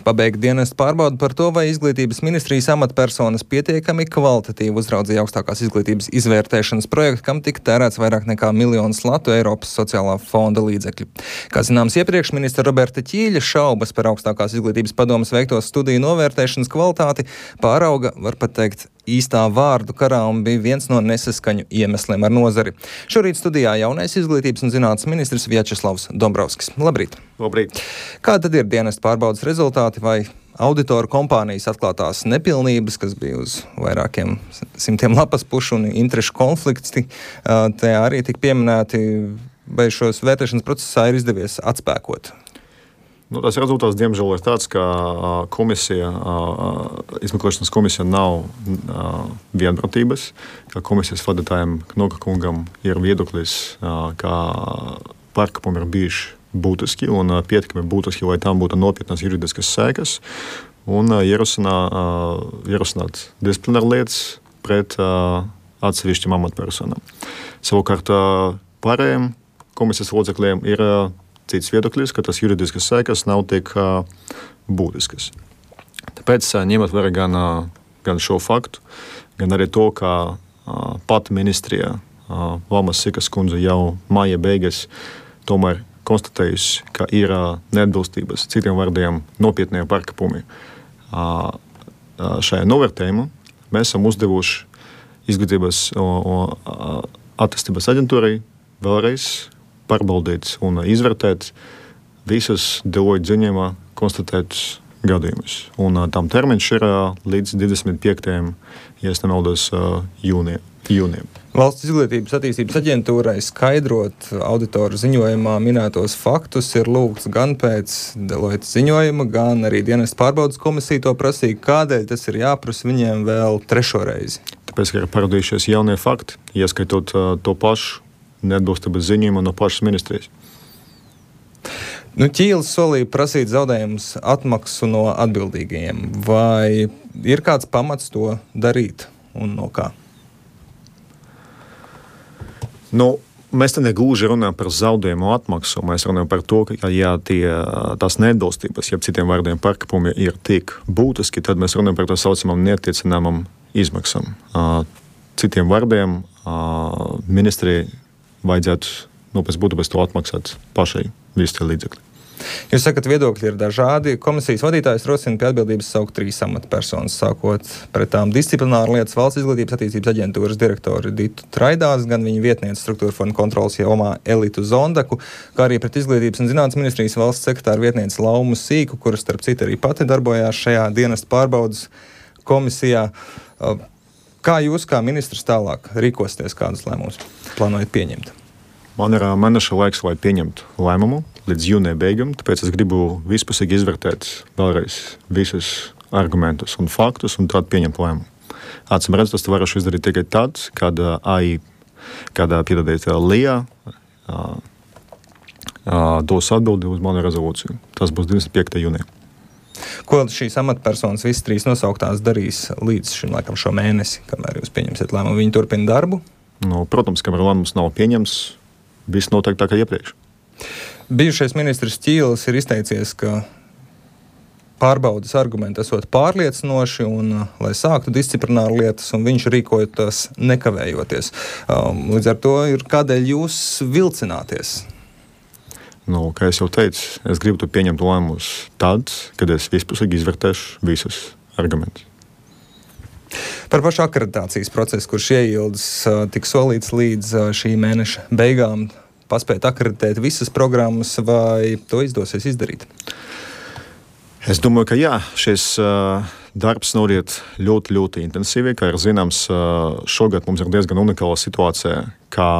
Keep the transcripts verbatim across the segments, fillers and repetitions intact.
Pabeigt dienestu pārbaudu par to, vai izglītības ministrijas amatpersonas pietiekami kvalitatīvi uzraudzīja augstākās izglītības izvērtēšanas projektu, kam tika tērēts vairāk nekā miljonus latu Eiropas sociālā fonda līdzekļu. Kā zināms, iepriekš ministra Roberta Ķīļa šaubas par augstākās izglītības padomes veikto studiju novērtēšanas kvalitāti pārauga, var pat teikt, īstā vārdu karā un bija viens no nesaskaņu iemesliem ar nozari. Šorīt studijā jaunais izglītības un zinātnes ministrs Vjačeslavs Dombrovskis. Labrīt! Labrīt! Kā tad ir dienesta pārbaudas rezultāti vai auditoru kompānijas atklātās nepilnības, kas bija uz vairākiem simtiem lapas pušu un interešu konflikti, te arī tik pieminēti, vai šos vērtēšanas procesā ir izdevies atspēkot? Nu, tas rezultāts, diemžēl, ir tāds, ka komisija, izmeklēšanas komisija nav vienprātības, ka komisijas vadītājiem Knoka kungam ir viedoklis, ka pārkāpumi ir bijuši būtiski un pietiekami būtiski, lai tam būtu nopietnas juridiskas sekas, un ierosināt disciplināru lietas pret atsevišķiem amatpersonām. Savukārt pārējiem komisijas locekļiem ir cits viedoklis, ka tas juridiskas sekas nav tik uh, būtiskas. Tāpēc, uh, ņemot vērā gan, uh, gan šo faktu, gan arī to, ka uh, pati ministrija uh, Valmas Sikas kundze jau maija beigas tomēr konstatējusi, ka ir uh, neatbilstības, citiem vārdiem nopietnie pārkāpumi uh, uh, šajā novērtējumā, mēs esam uzdevuši izglītības un uh, attīstības aģentūrai vēlreiz pārbaudīt un izvērtēt visus Deloitte ziņojumā konstatētus gadījumus. Un uh, tam termiņš ir uh, līdz divdesmit piektajam ja es nemaldos, uh, jūnijam. jūnijam. Valsts izglītības attīstības aģentūrai skaidrot auditoru ziņojumā minētos faktus ir lūgts gan pēc Deloitte ziņojuma, gan arī dienesta pārbaudas komisija to prasīja. Kādēļ tas ir jāprasa viņiem vēl trešo reizi? Tāpēc, ka ir parādījušies jaunie fakti, ieskaitot uh, to pašu neatbilstības ziņojumu no pašas ministrijas. Nu, Ķīlis solīja prasīt zaudējumus atmaksu no atbildīgajiem. Vai ir kāds pamats to darīt un no kā? Nu, mēs te negluži runājam par zaudējumu atmaksu. Mēs runājam par to, ka ja tie, tās neatbilstības, ja citiem vārdiem pārkāpumi ir tik būtiski, tad mēs runājam par tā saucamām neattiecināmām izmaksām. Citiem vārdiem ministrijai vajadzētu, nu, pēc būtības to atmaksāt pašai visi tie līdzekļi. Jūs sakat, viedokļi ir dažādi. Komisijas vadītājs rosina pie atbildības saukt trīs amatpersonas, sākot pret tām disciplināru lietas Valsts izglītības attīstības aģentūras direktori Ditu Traidās, gan viņa vietniece struktūra fonda kontrolas jomā Elitu Zondaku, kā arī pret izglītības un zinātnes ministrijas valsts sekretāra vietniece Laumu Sīku, kuras starp citu arī pati darbojās šajā dienesta pārbaudas komisijā. Kā jūs, kā ministrs, tālāk rīkosties, kādus lēmumus plānojat pieņemt? Man ir mēneša laiks, lai pieņemtu lēmumu līdz jūnija beigām, tāpēc es gribu vispusīgi izvērtēt vēlreiz visus argumentus un faktus un tad pieņemt lēmumu. Acīm redzot, tas varu izdarīt tikai tad, kad AI, kad piedodiet Lija dos atbildi uz manu rezolūciju. Tas būs divdesmit piektajā jūnijā. Ko šīs amatpersonas visas trīs nosauktās darīs līdz šim laikam šo mēnesi, kamēr jūs pieņemsiet lēmumu? Viņi turpina darbu? Nu, protams, kamēr lēmums nav pieņems, viss notiek tā kā iepriekš. Bijušais ministrs Ķīlis ir izteicies, ka pārbaudas argumenti esot pārliecinoši un, lai sāktu disciplināru lietas, un viņš rīkojoties nekavējoties. Um, līdz ar to ir kādēļ jūs vilcināties? Nu, kā es jau teicu, es gribu to pieņemt lēmumus tad, kad es vispusīgi izvērtēšu visus argumentus. Par pašu akreditācijas procesu, kurš ieildas, tik solīts līdz šī mēneša beigām, paspēt akreditēt visas programmas, vai to izdosies izdarīt? Es domāju, ka jā, šis uh, darbs noriet ļoti, ļoti intensīvi. Kā ir zināms, uh, šogad mums ir diezgan unikāla situācija, kā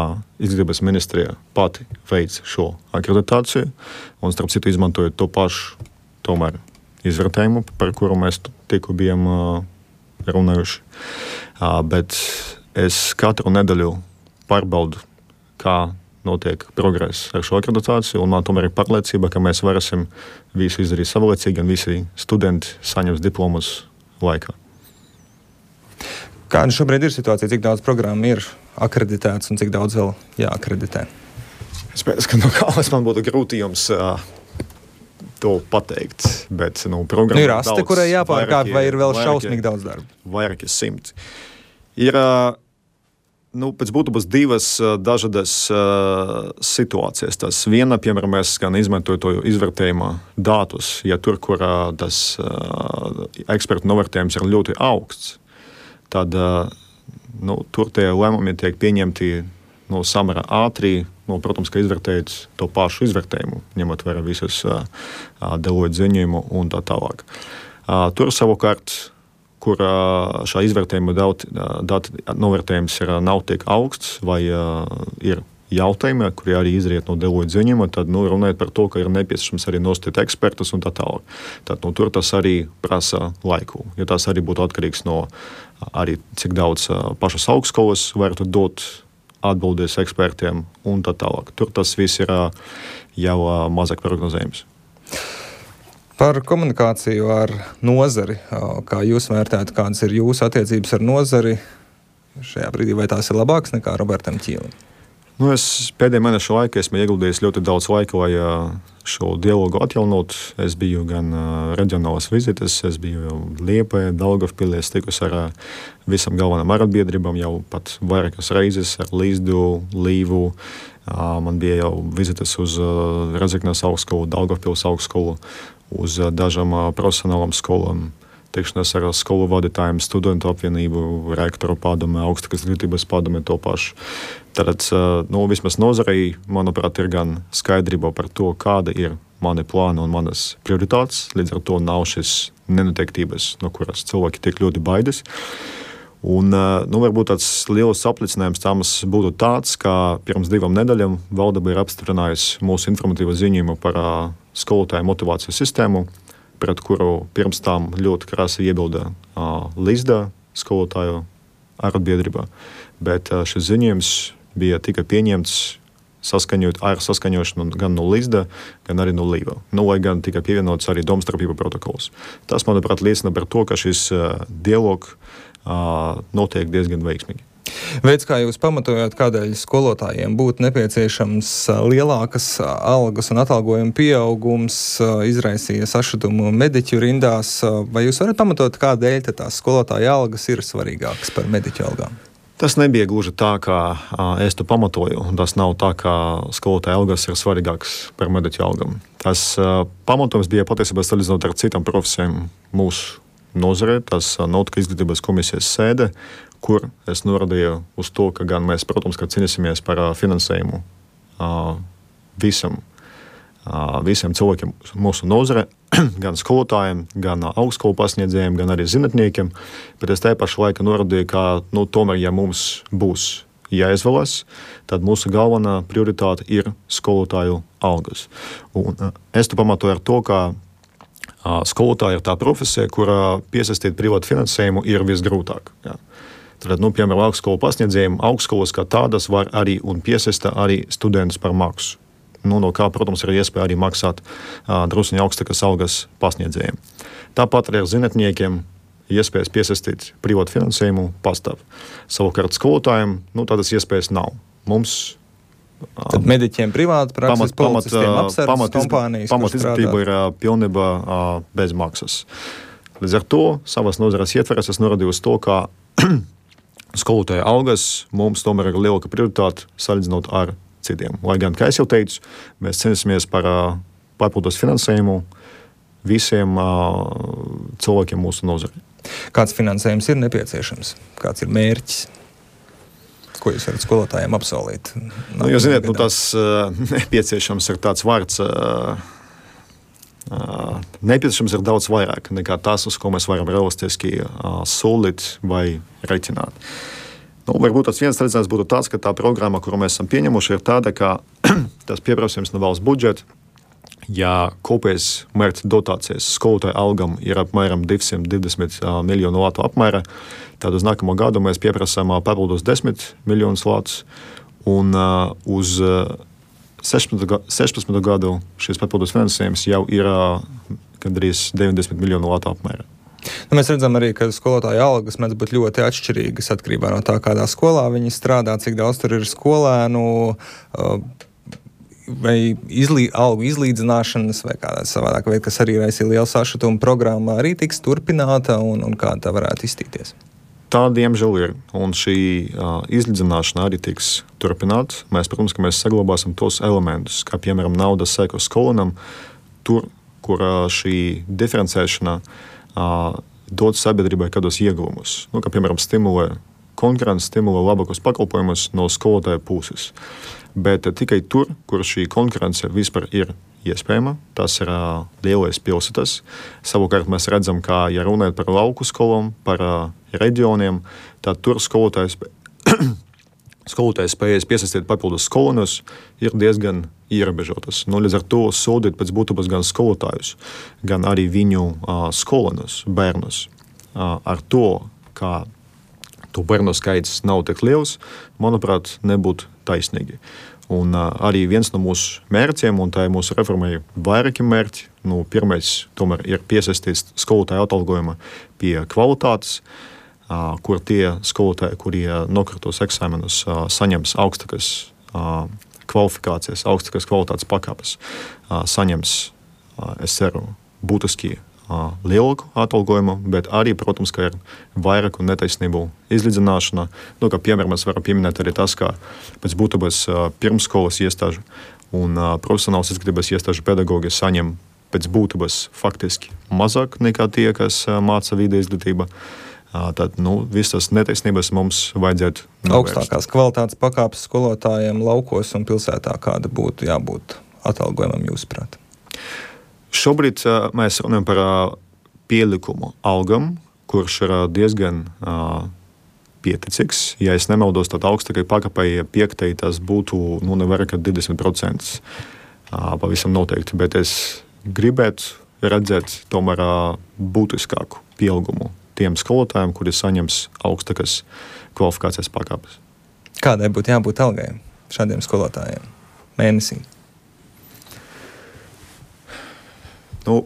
izglītības ministrija pati veic šo akreditāciju, un starp citu izmantojot to pašu tomēr izvērtējumu, par kuru mēs tikko bijām uh, runājuši. Uh, bet es katru nedēļu pārbaudu, kā notiek progress ar šo akreditāciju, un man tomēr ir pārliecība, ka mēs varēsim visu izdarīt savlaicīgi, un visi studenti saņems diplomus laikā. Kāda šobrīd ir situācija? Cik daudz programmu ir akreditēts un cik daudz vēl jāakreditē? Es pēc, ka no kādas man būtu grūti jums uh, to pateikt. Bet, nu, programma nu, ir aste, daudz, kurai jāpārkāp, vai ir vēl vairāki, šausmīgi daudz darba? Vairāki simti. Ir, nu, pēc būtības divas dažādas uh, situācijas. Tas viena, piemēram, mēs gan izmantoju to izvērtējuma datus, ja tur, kur uh, tas uh, ekspertu novērtējums ir ļoti augsts, tad uh, nu, tur tie lēmumi tiek pieņemti nu, samērā ātri, nu, protams, ka izvērtējot to pašu izvērtējumu, ņemot vērā visus uh, Deloitte ziņojumu un tā tālāk. Uh, tur savukārt, kur uh, šā izvērtējuma dati, dati novērtējums ir, nav tik augsts vai uh, ir jautājumi, kuri arī izriet no Deloitte ziņojuma, tad nu, runājot par to, ka ir nepieciešams arī nostīt ekspertus un tā tālāk. Tad nu, tur tas arī prasa laiku, jo tas arī būtu atkarīgs no arī cik daudz uh, pašas augstskolas varētu dot atbildes ekspertiem un tā tālāk. Tur tas viss ir uh, jau uh, mazāk prognozējums. Par komunikāciju ar nozari, kā jūs vērtējat, kādas ir jūsu attiecības ar nozari šajā brīdī, vai tās ir labākas nekā Robertam Ķīlim? Nu, es pēdējā mēneša laikā esmu ieguldījis ļoti daudz laika, lai šo dialogu atjaunot. Es biju gan reģionālas vizites, es biju Liepājā, Daugavpilī, es tikus ar visam galvenām arotbiedrībām jau pat vairākas reizes ar Līzdu, Līvu. Man bija jau vizites uz Redzeknes augstskolu, Daugavpils augstskolu, uz dažām profesionālām skolām, tikšanās ar skolu vadītājiem, studentu apvienību, rektoru padome, augstākās izglītības padome to pašu. Tātad, nu, vismaz nozarei, manuprāt, ir gan skaidrība par to, kāda ir mani plāni un manas prioritātes. Līdz ar to nav šis nenoteiktības, no kuras cilvēki tiek ļoti baidas. Un, nu, varbūt tāds liels apliecinājums tam būtu tāds, ka pirms divām nedēļām valdība ir apstiprinājusi mūsu informatīvo ziņojumu par skolotāju motivācijas sistēmu, pret kuru pirms tam ļoti krasi iebilda uh, Līzda skolotāju arotbiedrībā. Bet uh, šis ziņojums bija tikai pieņemts saskaņot ar saskaņošanu gan no Līzda, gan arī no Līva. Nu, lai gan tikai pievienots arī domstarpību protokols. Tas, manuprāt, liecina par to, ka šis uh, dialogs uh, notiek diezgan veiksmīgi. Veids, kā jūs pamatojat, kādēļ skolotājiem būtu nepieciešams lielākas algas un atalgojuma pieaugums, izraisīja sašutumu mediķu rindās, vai jūs varat pamatot, kādēļ tās skolotāja algas ir svarīgākas par mediķu algām? Tas nebija gluži tā, kā es to pamatoju. Tas nav tā, ka skolotāja algas ir svarīgākas par mediķu algām. Tas pamatojums bija patiesībā salīdzinot ar citām profesijām mūsu nozarē. Tas notika izglītības komisijas sēde, kur es norādīju uz to, ka gan mēs, protams, ka cīnīsimies par finansējumu visam, visiem cilvēkiem mūsu nozare, gan skolotājiem, gan augstskolu pasniedzējiem, gan arī zinātniekiem, bet es tajā pašā laikā norādīju, ka, nu, tomēr, ja mums būs jāizvēlas, tad mūsu galvenā prioritāte ir skolotāju algas. Un es to pamatoju ar to, ka skolotāja ir tā profesija, kurā piesaistīt privātu finansējumu ir visgrūtāk. Jā. Tad, nu, piemēram, augstskolu pasniedzējiem augstskolas kā tādas var arī un piesaista arī studentus par maksu. Nu, no kā, protams, ir iespēja arī maksāt uh, druskuņi augstākas algas pasniedzējiem. Tāpat arī ar zinātniekiem iespējas piesaistīt privātu finansējumu pastāv. Savukārt skolotājiem nu, tādas iespējas nav. Mums Tad mediķiem privāti prakses, policistiem apsardzes kompānijas, pamat izglītība ir uh, pilnībā uh, bez maksas. Līdz ar to savas nozares ietveres es norādīju uz to, ka skolotāja algas mums tomēr ir lielāka prioritāte salīdzinot ar citiem. Lai gan, kā es jau teicu, mēs cenšamies par uh, papildus finansējumu visiem uh, cilvēkiem mūsu nozarē. Kāds finansējums ir nepieciešams? Kāds ir mērķis? Ko jūs varat skolotājiem apsolīt? Nu, jūs zināt, nu, tas uh, nepieciešams ir tāds vārds. Uh, uh, nepieciešams ir daudz vairāk nekā tas, uz ko mēs varam realistiski uh, solīt vai reiķināt. Nu, varbūt tas viens redzējums būtu tāds, ka tā programma, kuru mēs esam pieņemuši, ir tāda, ka tas pieprasījums no valsts budžeta, ja kopējais mērķa dotācijas skolotāju algam ir apmēram divsimt divdesmit miljonu latu apmēra, tad uz nākamo gadu mēs pieprasām papildus desmit miljonus latus, un uh, uz sešpadsmito gadu šis papildus finansējums jau ir uh, gandrīz deviņdesmit miljonu latu apmēra. Nu, mēs redzam arī, ka skolotāju algas mēdz būt ļoti atšķirīgas atkarībā no tā, kādā skolā viņi strādā, cik daudz tur ir skolēnu. Uh, vai izlī, algu izlīdzināšanas vai kādā savādāk veida, kas arī raisīja lielu sašutumu programmā, arī tiks turpināta un, un kā tā varētu izstīties? Tā, diemžēl, ir. Un šī uh, izlīdzināšana arī tiks turpināta. Mēs, protams, ka mēs saglabāsim tos elementus, kā, piemēram, naudas seko skolonam, tur, kur uh, šī diferencēšana uh, dod sabiedrībai kādos ieguvumus. Nu, kā, piemēram, stimulē konkurence, stimulē labākos pakalpojumus no skolotāja puses. Bet uh, tikai tur, kur šī konkurence vispār ir iespējama, tas ir uh, lielais pilsētas. Savukārt mēs redzam, ka, ja runājot par lauku skolām, par uh, reģioniem, tad tur skolotājs, skolotājs spējas piesaistīt papildus skolonus ir diezgan ierobežotas. Nu, līdz ar to sodīt pēc būtības gan skolotājus, gan arī viņu uh, skolonus, bērnus. Uh, ar to, ka to bērnu skaits nav tik liels, manuprāt, nebūtu taisnīgi. Un uh, arī viens no mūsu mērķiem, un tā ir mūsu reformai vairāki mērķi, nu, pirmais tomēr ir piesaistīt skolotāju atalgojuma pie kvalitātes, uh, kur tie skolotāji, kuri uh, nokārtos eksāmenus, uh, saņems augstākas uh, kvalifikācijas, augstākas kvalitātes pakāpes, uh, saņems, uh, es ceru, būtiski uh, lielāku atalgojumu, bet arī, protams, ka ir vairāku netaisnību izlīdzināšana. Nu, kā piemēram, mēs varam pieminēt arī tas, ka pēc būtības uh, pirmsskolas iestāžu un uh, profesionālas izglītības iestāžu pedagogi saņem pēc būtības faktiski mazāk nekā tie, kas uh, māca vide izglītība. Uh, tad, nu, visas netaisnības mums vajadzētu novērst. Augstākās kvalitātes pakāpes skolotājiem laukos un pilsētā kāda būtu jābūt atalgojumam jūsuprāt? Šobrīd uh, mēs runājam par uh, pielikumu algam, kurš ir uh, diezgan uh, pieticīgs. Ja es nemaldos, tad augstākai pakāpei piektai tas būtu nu, nevairāk kā divdesmit procenti uh, pavisam noteikti, bet es gribētu redzēt tomēr uh, būtiskāku pieaugumu tiem skolotājiem, kuri saņems augstākas kvalifikācijas pakāpes. Kādai būtu jābūt algai šādiem skolotājiem mēnesī? Nu,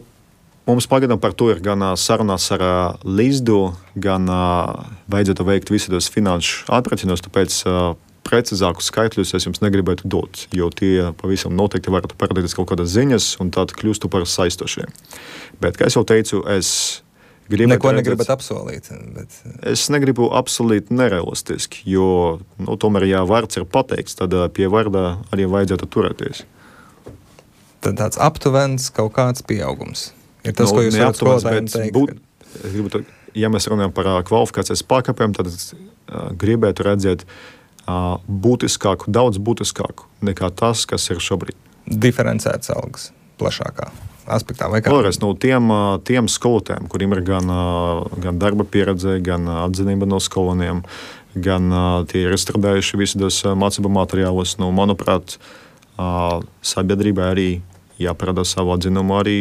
mums pagaidām par to ir gan sarunās ar uh, Līsdu, gan uh, vajadzētu veikt visu tos finanšu aprēķinus, tāpēc uh, precīzākus skaitļus es jums negribētu dot, jo tie pavisam noteikti varētu parādīties kaut kādas ziņas un tad kļūstu par saistošiem. Bet, kā es jau teicu, es gribētu Neko redzēt, negribat apsolīt. Bet... Es negribu apsolīt nerealistiski, jo nu, tomēr, ja vārds ir pateikts, tad uh, pie vārda arī vajadzētu turēties. Tad tāds aptuvens kaut kāds pieaugums. Ir tas, nu, ko jūs varat skolotājiem teikt. Būt, es gribu, ja mēs runājam par uh, kvalifikācijas pakāpēm, tad uh, gribētu redzēt uh, būtiskāku, daudz būtiskāku nekā tas, kas ir šobrīd. Diferencēts algas plašākā aspektā. Vai kā? Vēlreiz, no tiem, uh, tiem skolotājiem, kuriem ir gan, uh, gan darba pieredze, gan uh, atzinība no skoloniem, gan uh, tie ir izstrādājuši visus uh, mācību materiālus, nu, manuprāt, uh, sabiedrībai arī jāparāda savu atzinumu arī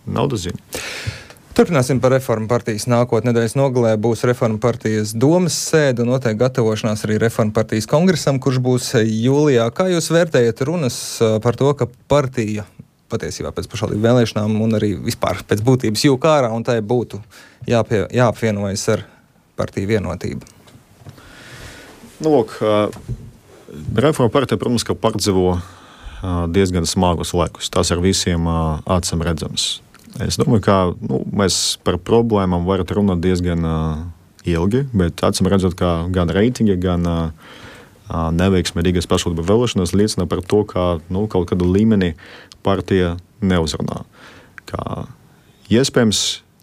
naudas ziņu. Turpināsim par Reformu partijas nākotni. Nedēļas nogalē būs Reformu partijas domas sēde un notiek gatavošanās arī Reformu partijas kongresam, kurš būs jūlijā. Kā jūs vērtējat runas par to, ka partija patiesībā pēc pašvaldību vēlēšanām un arī vispār pēc būtības jūk ārā un tai būtu jāpie, jāapvienojas ar partiju vienotību? Nu, lūk, Reformu partija, protams, ka pārdzīvo diezgan smagus laikus. Tas ar visiem acīm redzams. Es domāju, ka nu, mēs par problēmām varam runāt diezgan uh, ilgi, bet acīm redzot, ka gan reitingi, gan uh, neveiksme Rīgas pašvaldību vēlēšanās liecina par to, ka nu, kaut kādu līmeni partija neuzrunā. Kā, iespējams,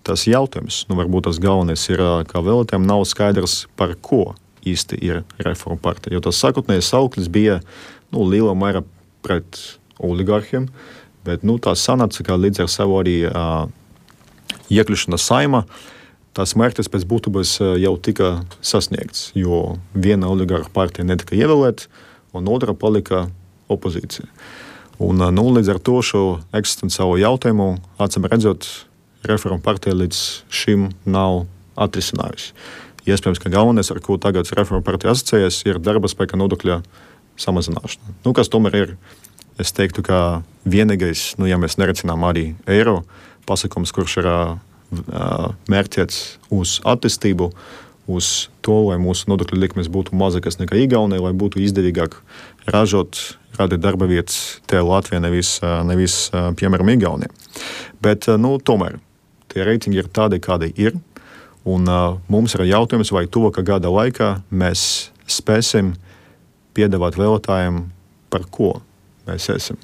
tas jautājums, nu, varbūt tas galvenais ir, ka vēlētājiem nav skaidrs, par ko īsti ir Reformu partija. Jo tas sākotnējais sauklis bija nu, lielā mērā pret oligarhiem, bet nu, tā sanāca, ka līdz ar savu arī uh, iekļūšanu saimā, tās mērķis pēc būtības uh, jau tika sasniegts, jo viena oligarha partija netika ievēlēta, un otra palika opozīcija. Un, uh, nu, līdz ar to šo eksistenciālo jautājumu, acīm redzot, Reformu partija līdz šim nav atrisinājusi. Iespējams, ka galvenais, ar ko tagad Reformu partija asociējas, ir darba spēka nodokļa samazināšana. Nu, kas tomēr ir, es teiktu, ka vienīgais, nu, ja mēs nericinām arī eiro pasakums, kurš ir uh, mērķēts uz attīstību, uz to, lai mūsu nodokļu likmes būtu mazākas nekā Igaunijā, lai būtu izdevīgāk ražot, kāda ir darba vietas te Latvijā, nevis, nevis piemēram, Igaunijā. Bet, nu, tomēr, tie reitingi ir tādi, kādi ir, un uh, mums ir jautājums, vai tuvākā gada laikā mēs spēsim piedāvāt vēlētājiem, par ko mēs esam.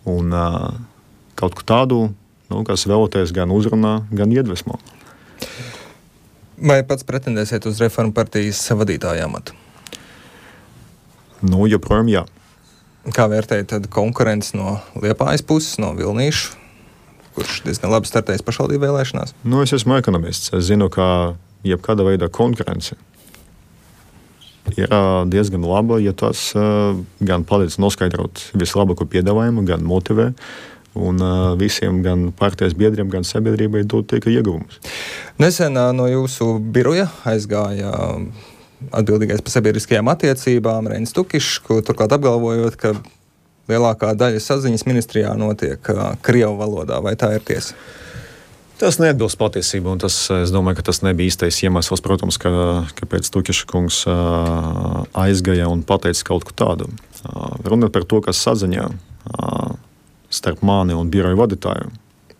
Un uh, kaut ko tādu, nu, kas vēlētājs gan uzrunā, gan iedvesmo. Vai pats pretendēsiet uz Reformu partijas vadītāja amatu? Nu, joprojām jā. Kā vērtējat tad konkurences no Liepājas puses, no Vilnīšu, kurš diezgan labi startējis pašvaldību vēlēšanās? Nu, es esmu ekonomists. Es zinu, ka jebkāda veida konkurence ir diezgan laba, ja tas uh, gan palīdz noskaidrot vislabāko piedāvājumu, gan motivē, un uh, visiem, gan partijas biedriem, gan sabiedrībai dod tikai ieguvumus. Nesen uh, no jūsu biroja aizgāja uh, atbildīgais par sabiedriskajām attiecībām Reinis Tukišs, ko turklāt apgalvojot, ka lielākā daļa saziņas ministrijā notiek uh, krievu valodā. Vai tā ir tiesa? Tas neatbilst patiesību, un tas, es domāju, ka tas nebija īstais iemesls, protams, ka, kāpēc Tukiša kungs uh, aizgāja un pateica kaut ko tādu. Uh, runāt par to, kas saziņā uh, starp mani un biroju vadītāju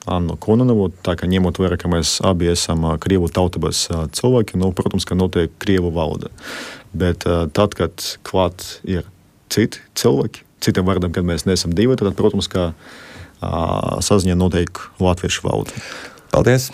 Annu Kononovu, tā kā ņemot vērā, ka mēs abi esam uh, krievu tautības uh, cilvēki, nu, protams, ka notiek krievu valoda. Bet uh, tad, kad klāt ir citi cilvēki, citiem vārdiem, kad mēs neesam divi, tad, protams, ka uh, saziņā notiek latviešu valoda. Paldies!